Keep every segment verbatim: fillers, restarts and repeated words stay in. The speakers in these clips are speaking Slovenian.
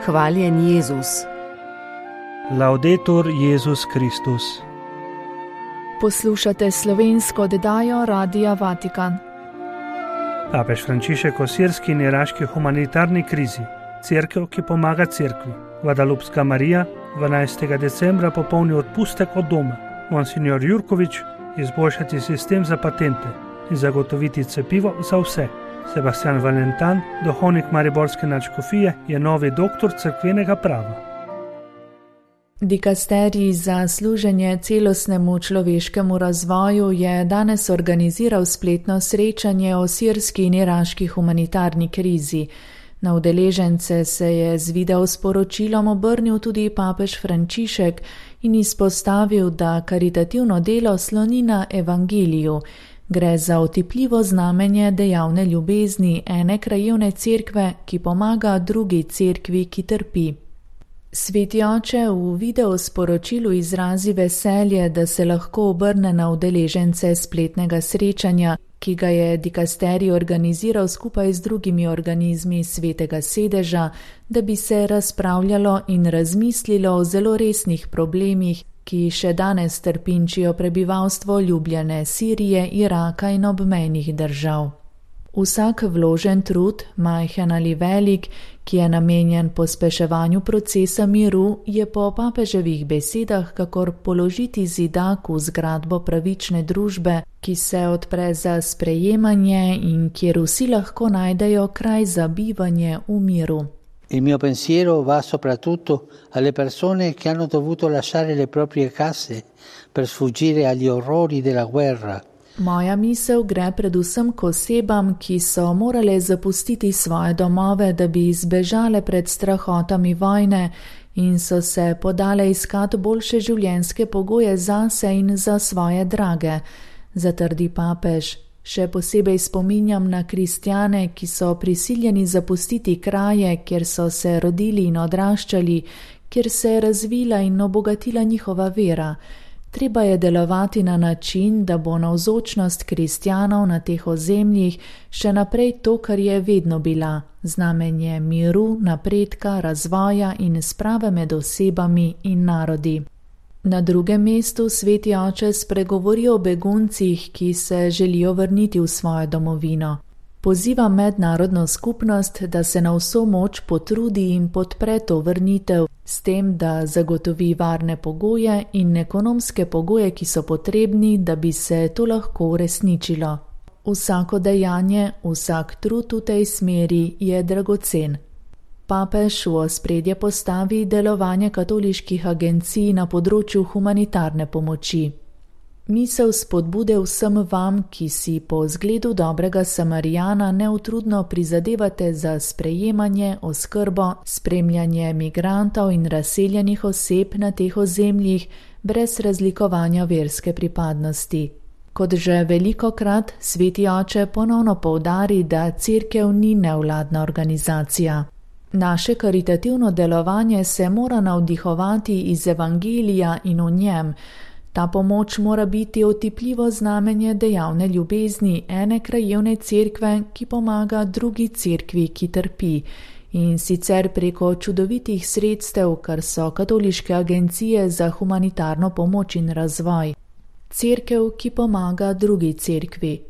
Hvaljen Jezus. Laudetur Jezus Kristus. Poslušate slovensko oddajo Radia Vatikan. Papež Frančišek o sirski in iraški humanitarni krizi. Cerkev, ki pomaga cerkvi. Guadalupska Marija dvanajstega decembra popolni odpustek od doma. Monsignor Jurkovič izboljšati sistem za patente in zagotoviti cepivo za vse. Sebastian Valentan, duhovnik mariborske nadškofije, je novi doktor cerkvenega prava. Dikasterij za služenje celostnemu človeškemu razvoju je danes organiziral spletno srečanje o sirski in iraški humanitarni krizi. Na udeležence se je z video sporočilom obrnil tudi papež Frančišek in izpostavil, da karitativno delo sloni na evangeliju. Gre za otipljivo znamenje dejavne ljubezni ene krajevne cerkve, ki pomaga drugi cerkvi, ki trpi. Sveti oče v video sporočilu izrazi veselje, da se lahko obrne na udeležence spletnega srečanja, ki ga je dikasterij organiziral skupaj z drugimi organizmi Svetega sedeža, da bi se razpravljalo in razmislilo o zelo resnih problemih, ki še danes trpinčijo prebivalstvo ljubljene Sirije, Iraka in obmejnih držav. Vsak vložen trud, majhen ali velik, ki je namenjen pospeševanju procesa miru, je po papeževih besedah kakor položiti zidak v zgradbo pravične družbe, ki se odpre za sprejemanje in kjer vsi lahko najdejo kraj za bivanje v miru. Il mio pensiero va soprattutto alle persone che hanno dovuto lasciare le proprie case per sfuggire agli orrori della guerra. Moja misel gre predvsem k osebam, ki so morale zapustiti svoje domove, da bi izbežale pred strahotami vojne in so se podale iskat boljše življenjske pogoje zase in za svoje drage, zatrdi papež. Še posebej spominjam na kristjane, ki so prisiljeni zapustiti kraje, kjer so se rodili in odraščali, kjer se je razvila in obogatila njihova vera. Treba je delovati na način, da bo navzočnost kristjanov na teh ozemljih še naprej to, kar je vedno bila, znamenje miru, napredka, razvoja in sprave med osebami in narodi. Na drugem mestu sveti oče spregovori o beguncih, ki se želijo vrniti v svojo domovino. Poziva mednarodno skupnost, da se na vso moč potrudi in podpre to vrnitev, s tem, da zagotovi varne pogoje in ekonomske pogoje, ki so potrebni, da bi se to lahko uresničilo. Vsako dejanje, vsak trud v tej smeri je dragocen. Papež v ospredje postavi delovanje katoliških agencij na področju humanitarne pomoči. Misel spodbude vsem vam, ki si po zgledu dobrega Samarijana neutrudno prizadevate za sprejemanje, oskrbo, spremljanje migrantov in razseljenih oseb na teh ozemljih brez razlikovanja verske pripadnosti. Kot že velikokrat sveti oče ponovno poudari, da cerkev ni nevladna organizacija. Naše karitativno delovanje se mora navdihovati iz evangelija in v njem. Ta pomoč mora biti otipljivo znamenje dejavne ljubezni ene krajevne cerkve, ki pomaga drugi cerkvi, ki trpi, in sicer preko čudovitih sredstev, kar so katoliške agencije za humanitarno pomoč in razvoj. Cerkev, ki pomaga drugi cerkvi.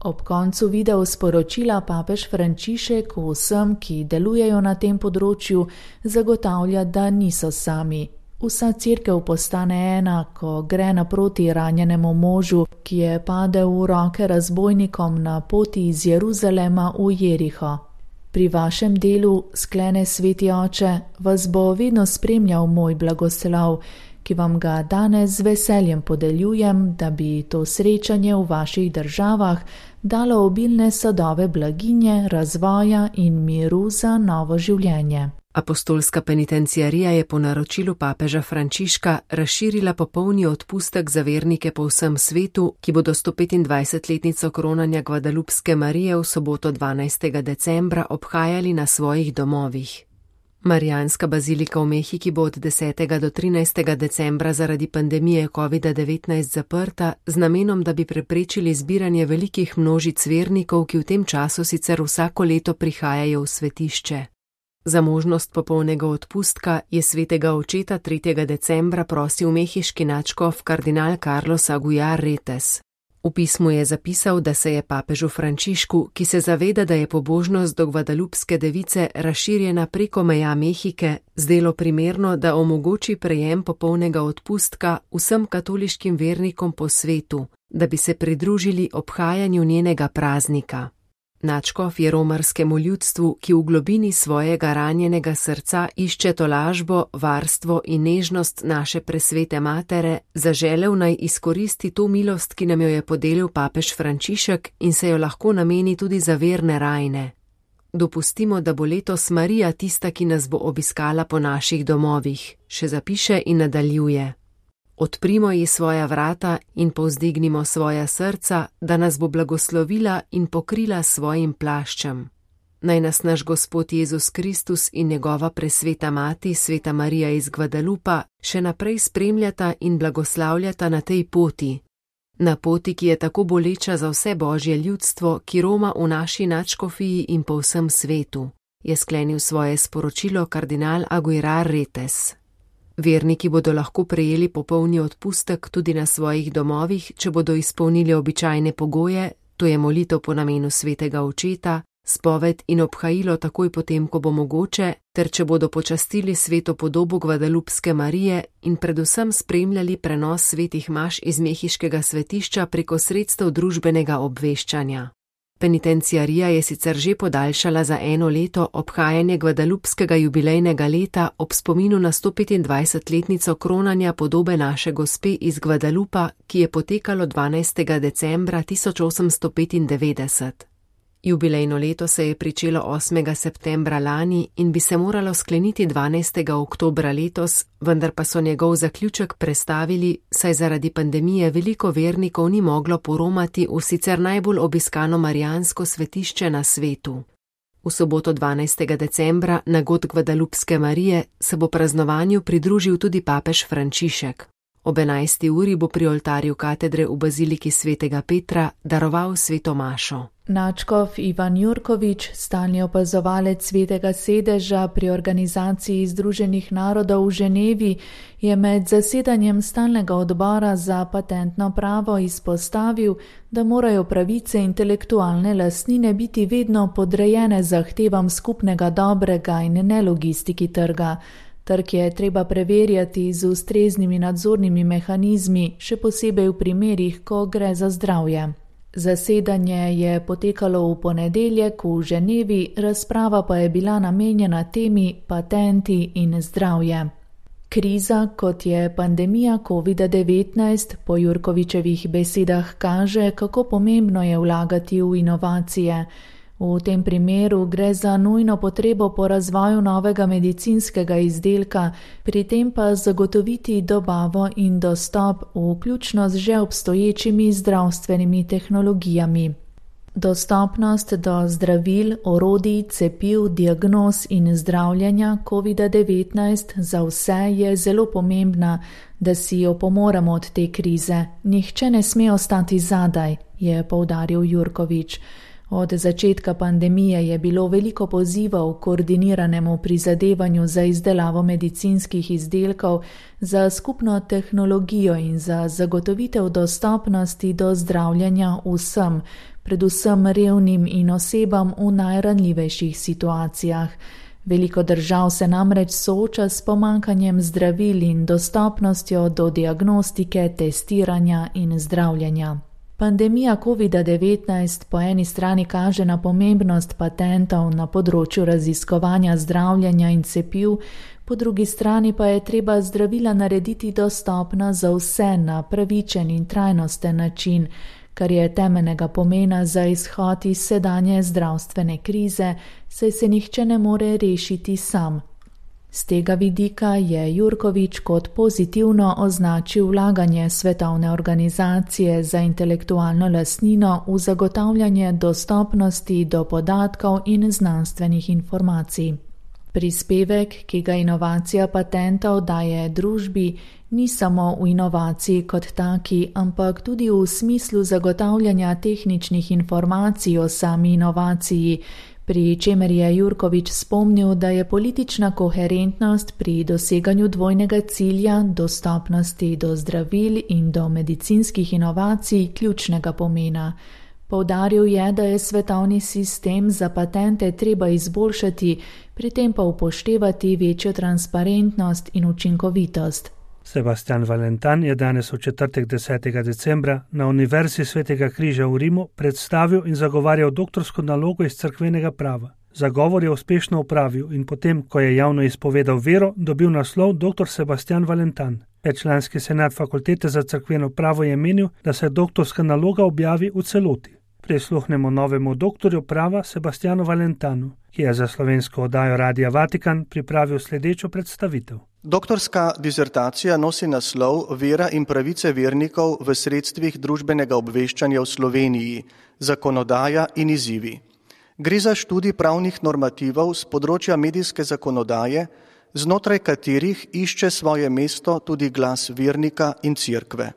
Ob koncu video sporočila papež Frančišek vsem, ki delujejo na tem področju, zagotavlja, da niso sami. Vsa cerkev postane ena, ko gre naproti ranjenemu možu, ki je padel v roke razbojnikom na poti iz Jeruzalema v Jeriho. Pri vašem delu, sklene sveti oče, vas bo vedno spremljal moj blagoslov, ki vam ga danes z veseljem podeljujem, da bi to srečanje v vaših državah dalo obilne sadove blaginje, razvoja in miru za novo življenje. Apostolska penitenciarija je po naročilu papeža Frančiška razširila popolni odpustek za vernike po vsem svetu, ki bodo sto petindvajsetletnico kronanja Guadalupske Marije v soboto dvanajstega decembra obhajali na svojih domovih. Marijanska bazilika v Mehiki bo od desetega do trinajstega decembra zaradi pandemije kovida devetnajst zaprta z namenom, da bi preprečili zbiranje velikih množic vernikov, ki v tem času sicer vsako leto prihajajo v svetišče. Za možnost popolnega odpustka je svetega očeta tretjega decembra prosil mehiški nadškof kardinal Carlos Aguilar Retes. V pismu je zapisal, da se je papežu Frančišku, ki se zaveda, da je pobožnost do Gvadalupske device razširjena preko meja Mehike, zdelo primerno, da omogoči prejem popolnega odpustka vsem katoliškim vernikom po svetu, da bi se pridružili obhajanju njenega praznika. Nadškof je romarskemu ljudstvu, ki v globini svojega ranjenega srca išče tolažbo, varstvo in nežnost naše presvete matere, zaželel naj izkoristi to milost, ki nam jo je podelil papež Frančišek in se jo lahko nameni tudi za verne rajne. Dopustimo, da bo letos Marija tista, ki nas bo obiskala po naših domovih, še zapiše in nadaljuje. Odprimo ji svoja vrata in povzdignimo svoja srca, da nas bo blagoslovila in pokrila svojim plaščem. Naj nas naš Gospod Jezus Kristus in njegova presveta mati, sveta Marija iz Gvadalupa, še naprej spremljata in blagoslavljata na tej poti. Na poti, ki je tako boleča za vse božje ljudstvo, ki roma v naši nadškofiji in po vsem svetu, je sklenil svoje sporočilo kardinal Aguilar Retes. Verniki bodo lahko prejeli popolni odpustek tudi na svojih domovih, če bodo izpolnili običajne pogoje, to je molitev po namenu svetega očeta, spoved in obhajilo takoj potem, ko bo mogoče, ter če bodo počastili sveto podobo Gvadalupske Marije in predvsem spremljali prenos svetih maš iz mehiškega svetišča preko sredstev družbenega obveščanja. Penitenciarija je sicer že podaljšala za eno leto obhajanje Gvadalupskega jubilejnega leta ob spominu na sto petindvajsetletnico kronanja podobe naše gospe iz Gvadalupa, ki je potekalo dvanajstega decembra tisoč osemsto petindevetdeset. Jubilejno leto se je pričelo osmega septembra lani in bi se moralo skleniti dvanajstega oktobra letos, vendar pa so njegov zaključek prestavili, saj zaradi pandemije veliko vernikov ni moglo poromati v sicer najbolj obiskano marijansko svetišče na svetu. V soboto dvanajstega decembra na god Gvadalupske Marije se bo praznovanju pridružil tudi papež Frančišek. Ob enajsti uri bo pri oltarju katedre v baziliki svetega Petra daroval sveto mašo. Nadškof Ivan Jurkovič, stalni opazovalec svetega sedeža pri organizaciji Združenih narodov v Ženevi, je med zasedanjem stalnega odbora za patentno pravo izpostavil, da morajo pravice intelektualne lastnine biti vedno podrejene zahtevam skupnega dobrega in ne logistiki trga. Trg je treba preverjati z ustreznimi nadzornimi mehanizmi, še posebej v primerih, ko gre za zdravje. Zasedanje je potekalo v ponedeljek v Ženevi, razprava pa je bila namenjena temi patenti in zdravje. Kriza, kot je pandemija covid devetnajst, po Jurkovičevih besedah kaže, kako pomembno je vlagati v inovacije. V tem primeru gre za nujno potrebo po razvoju novega medicinskega izdelka, pri tem pa zagotoviti dobavo in dostop, vključno z že obstoječimi zdravstvenimi tehnologijami. Dostopnost do zdravil, orodij, cepiv, diagnoz in zdravljenja covid devetnajst za vse je zelo pomembna, da si opomoremo od te krize. Nihče ne sme ostati zadaj, je poudaril Jurkovič. Od začetka pandemije je bilo veliko pozivov k koordiniranemu prizadevanju za izdelavo medicinskih izdelkov, za skupno tehnologijo in za zagotovitev dostopnosti do zdravljenja vsem, predvsem revnim in osebam v najranljivejših situacijah. Veliko držav se namreč sooča s pomanjkanjem zdravil in dostopnostjo do diagnostike, testiranja in zdravljenja. Pandemija covid devetnajst po eni strani kaže na pomembnost patentov na področju raziskovanja zdravljenja in cepiv, po drugi strani pa je treba zdravila narediti dostopna za vse na pravičen in trajnosten način, kar je temeljnega pomena za izhod iz sedanje zdravstvene krize, saj se nihče ne more rešiti sam. Z tega vidika je Jurkovič kot pozitivno označil vlaganje Svetovne organizacije za intelektualno lastnino v zagotavljanje dostopnosti do podatkov in znanstvenih informacij. Prispevek, ki ga inovacija patentov daje družbi, ni samo v inovaciji kot taki, ampak tudi v smislu zagotavljanja tehničnih informacij o sami inovaciji, pri čemer je Jurkovič spomnil, da je politična koherentnost pri doseganju dvojnega cilja dostopnosti do zdravil in do medicinskih inovacij ključnega pomena. Poudaril je, da je svetovni sistem za patente treba izboljšati, pri tem pa upoštevati večjo transparentnost in učinkovitost. Sebastian Valentan je danes v četrtek desetega decembra na Univerzi Svetega križa v Rimu predstavil in zagovarjal doktorsko nalogo iz cerkvenega prava. Zagovor je uspešno opravil in potem, ko je javno izpovedal vero, dobil naslov doktor Sebastian Valentan. Petčlanski senat Fakultete za cerkveno pravo je menil, da se doktorska naloga objavi v celoti. Prisluhnemo novemu doktorju prava Sebastianu Valentanu, ki je za slovensko oddajo Radia Vatikan pripravil sledečo predstavitev. Doktorska dizertacija nosi naslov Vera in pravice vernikov v sredstvih družbenega obveščanja v Sloveniji, zakonodaja in izzivi. Gre za študij pravnih normativov z področja medijske zakonodaje, znotraj katerih išče svoje mesto tudi glas vernika in cerkve.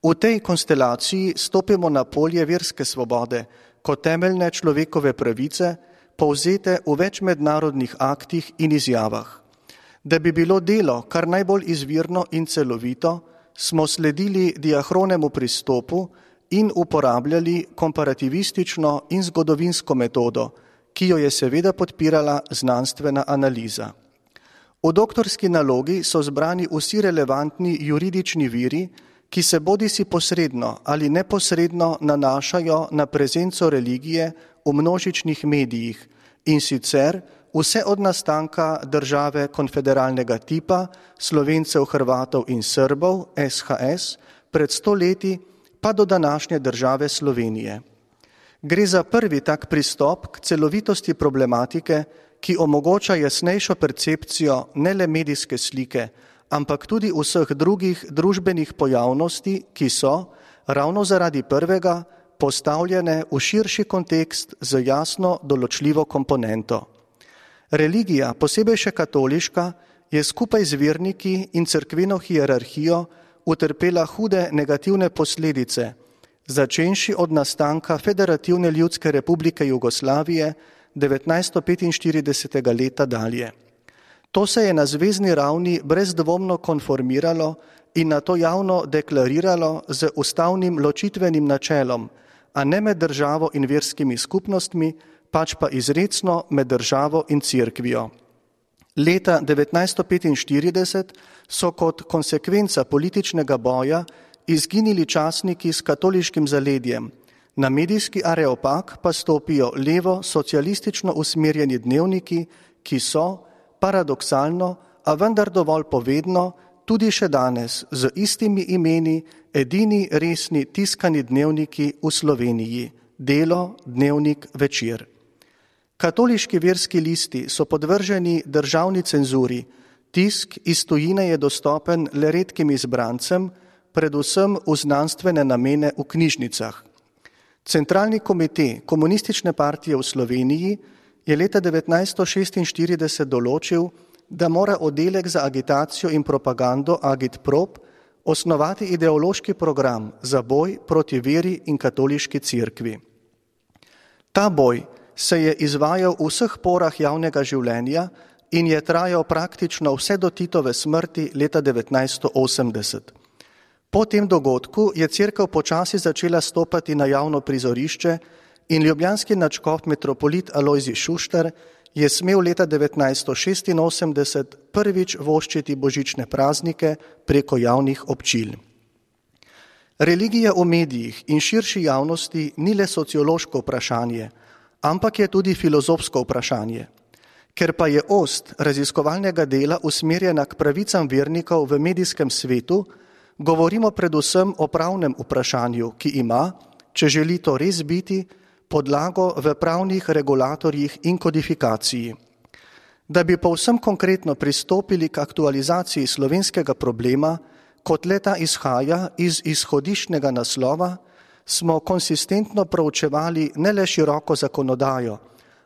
V tej konstelaciji stopimo na polje verske svobode kot temeljne človekove pravice, povzete v več mednarodnih aktih in izjavah. Da bi bilo delo kar najbolj izvirno in celovito, smo sledili diahronemu pristopu in uporabljali komparativistično in zgodovinsko metodo, ki jo je seveda podpirala znanstvena analiza. V doktorski nalogi so zbrani vsi relevantni juridični viri, ki se bodisi posredno ali neposredno nanašajo na prezenco religije v množičnih medijih, in sicer vse od nastanka države konfederalnega tipa, Slovencev, Hrvatov in Srbov, S H S, pred sto leti pa do današnje države Slovenije. Gre za prvi tak pristop k celovitosti problematike, ki omogoča jasnejšo percepcijo ne le medijske slike, ampak tudi vseh drugih družbenih pojavnosti, ki so, ravno zaradi prvega, postavljene v širši kontekst z jasno določljivo komponento. Religija, posebej še katoliška, je skupaj z verniki in cerkveno hierarhijo utrpela hude negativne posledice, začenši od nastanka Federativne ljudske republike Jugoslavije devetnajststo petinštiridesetega leta dalje. To se je na zvezni ravni brezdvomno konformiralo in nato javno deklariralo z ustavnim ločitvenim načelom, a ne med državo in verskimi skupnostmi, pač pa izrecno med državo in cerkvijo. Leta devetnajststo petinštirideset so kot konsekvenca političnega boja izginili časniki s katoliškim zaledjem, na medijski areopag pa stopijo levo socialistično usmerjeni dnevniki, ki so, paradoksalno, a vendar dovolj povedno, tudi še danes z istimi imeni edini resni tiskani dnevniki v Sloveniji, Delo, Dnevnik, Večer. Katoliški verski listi so podvrženi državni cenzuri, tisk iz tujine je dostopen le redkim izbrancem, predvsem v znanstvene namene v knjižnicah. Centralni komite Komunistične partije v Sloveniji je leta devetnajststo šestinštirideset določil, da mora oddelek za agitacijo in propagando Agitprop osnovati ideološki program za boj proti veri in katoliški cerkvi. Ta boj se je izvajal v vseh porah javnega življenja in je trajal praktično vse do Titove smrti leta devetnajststo osemdeset. Po tem dogodku je cerkev počasi začela stopati na javno prizorišče in ljubljanski nadškof metropolit Alojzij Šuštar je smel leta devetnajststo šestinosemdeset prvič voščiti božične praznike preko javnih občil. Religija v medijih in širši javnosti ni le sociološko vprašanje, ampak je tudi filozofsko vprašanje. Ker pa je ost raziskovalnega dela usmerjena k pravicam vernikov v medijskem svetu, govorimo predvsem o pravnem vprašanju, ki ima, če želi to res biti, podlago v pravnih regulatorjih in kodifikaciji. Da bi povsem konkretno pristopili k aktualizaciji slovenskega problema, kot leta izhaja iz izhodiščnega naslova, smo konsistentno proučevali ne le široko zakonodajo,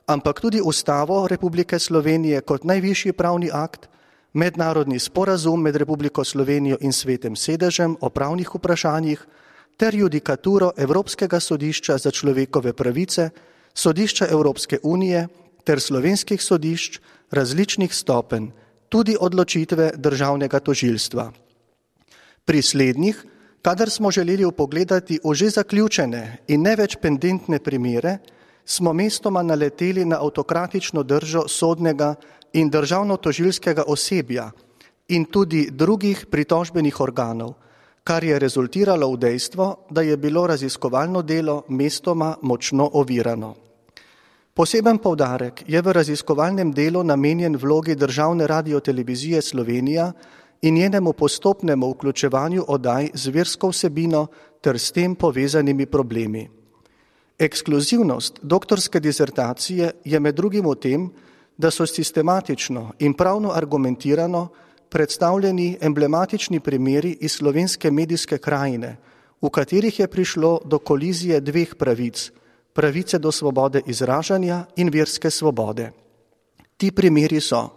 ampak tudi Ustavo Republike Slovenije kot najvišji pravni akt, mednarodni sporazum med Republiko Slovenijo in Svetem sedežem o pravnih vprašanjih ter judikaturo Evropskega sodišča za človekove pravice sodišča Evropske unije ter slovenskih sodišč različnih stopenj, tudi odločitve državnega tožilstva. Pri slednjih, kadar smo želeli vpogledati v že zaključene in ne več pendentne primere, smo mestoma naleteli na avtokratično držo sodnega in državno-tožilskega osebja in tudi drugih pritožbenih organov, kar je rezultiralo v dejstvo, da je bilo raziskovalno delo mestoma močno ovirano. Poseben poudarek je v raziskovalnem delu namenjen vlogi Državne radiotelevizije Slovenija in njenemu postopnemu vključevanju oddaj z versko vsebino ter s tem povezanimi problemi. Ekskluzivnost doktorske disertacije je med drugim v tem, da so sistematično in pravno argumentirano predstavljeni emblematični primeri iz slovenske medijske krajine, v katerih je prišlo do kolizije dveh pravic, pravice do svobode izražanja in verske svobode. Ti primeri so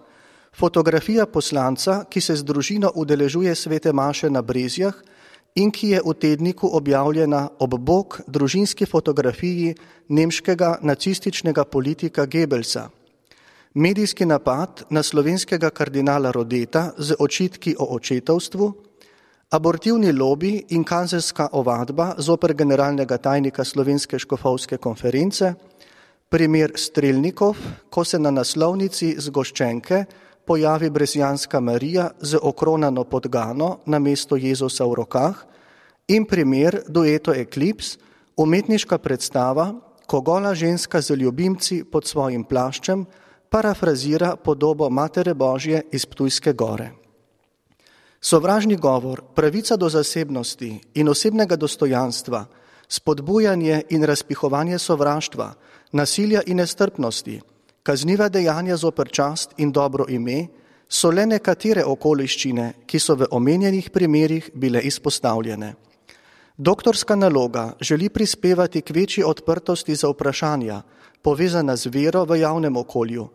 fotografija poslanca, ki se z družino udeležuje svete maše na Brezjah in ki je v tedniku objavljena ob bok družinski fotografiji nemškega nacističnega politika Goebbelsa. Medijski napad na slovenskega kardinala Rodeta z očitki o očetovstvu, abortivni lobi in kazenska ovadba zoper generalnega tajnika Slovenske škofovske konference, primer Strelnikov, ko se na naslovnici zgoščenke pojavi brezjanska Marija z okronano podgano na mesto Jezusa v rokah in primer dueto Eklips, umetniška predstava, ko gola ženska z ljubimci pod svojim plaščem parafrazira podobo Matere Božje iz Ptujske gore. Sovražni govor, pravica do zasebnosti in osebnega dostojanstva, spodbujanje in razpihovanje sovraštva, nasilja in nestrpnosti, kazniva dejanja zoper čast in dobro ime, so le nekatere okoliščine, ki so v omenjenih primerih bile izpostavljene. Doktorska naloga želi prispevati k večji odprtosti za vprašanja, povezana z vero v javnem okolju,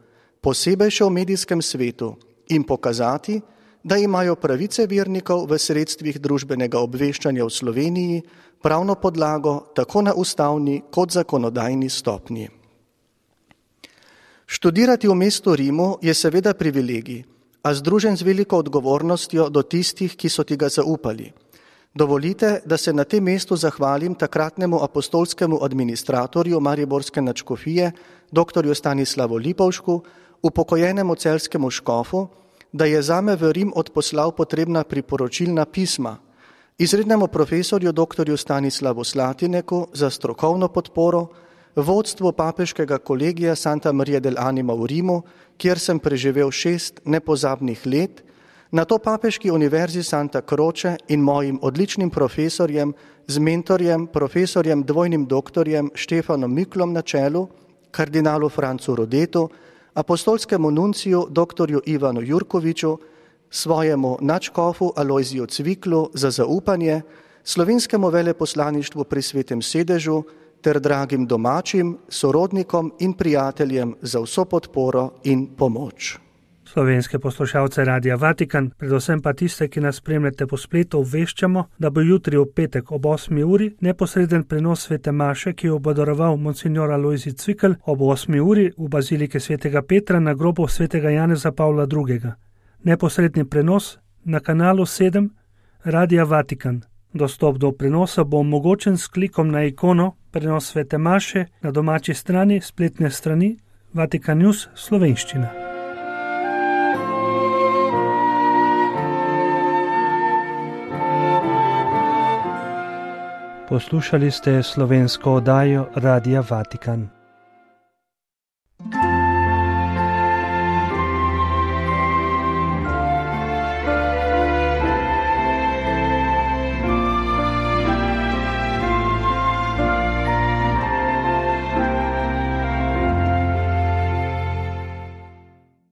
posebej še v medijskem svetu, in pokazati, da imajo pravice vernikov v sredstvih družbenega obveščanja v Sloveniji pravno podlago tako na ustavni kot zakonodajni stopnji. Študirati v mestu Rimu je seveda privilegij, a združen z veliko odgovornostjo do tistih, ki so ti ga zaupali. Dovolite, da se na tem mestu zahvalim takratnemu apostolskemu administratorju Mariborske nadškofije, doktorju Stanislavu Lipovšku, upokojenemu celjskemu škofu, da je zame v Rim odposlal potrebna priporočilna pisma, izrednemu profesorju doktorju Stanislavu Slatineku za strokovno podporo, vodstvu papeškega kolegija Santa Maria del Anima v Rimu, kjer sem preživel šest nepozabnih let, na to papeški univerzi Santa Croce in mojim odličnim profesorjem, z mentorjem, profesorjem dvojnim doktorjem Štefanom Miklom na čelu, kardinalu Francu Rodetu, apostolskemu nunciju doktorju Ivanu Jurkoviču, svojemu nadškofu Alojziju Cviklu za zaupanje, slovenskemu veleposlaništvu pri Svetem sedežu ter dragim domačim, sorodnikom in prijateljem za vso podporo in pomoč. Slovenske poslušalce Radia Vatikan, predvsem pa tiste, ki nas spremljate po spletu, obveščamo, da bo jutri v petek ob osmi uri neposreden prenos svete maše, ki jo bo daroval monsignor Alojzij Cvikl ob osmi uri v bazilike svetega Petra na grobu svetega Janeza Pavla drugega. Neposredni prenos na kanalu sedem Radia Vatikan. Dostop do prenosa bo omogočen s klikom na ikono prenos svete maše na domači strani spletne strani Vatikan News slovenščina. Poslušali ste slovensko oddajo Radia Vatikan.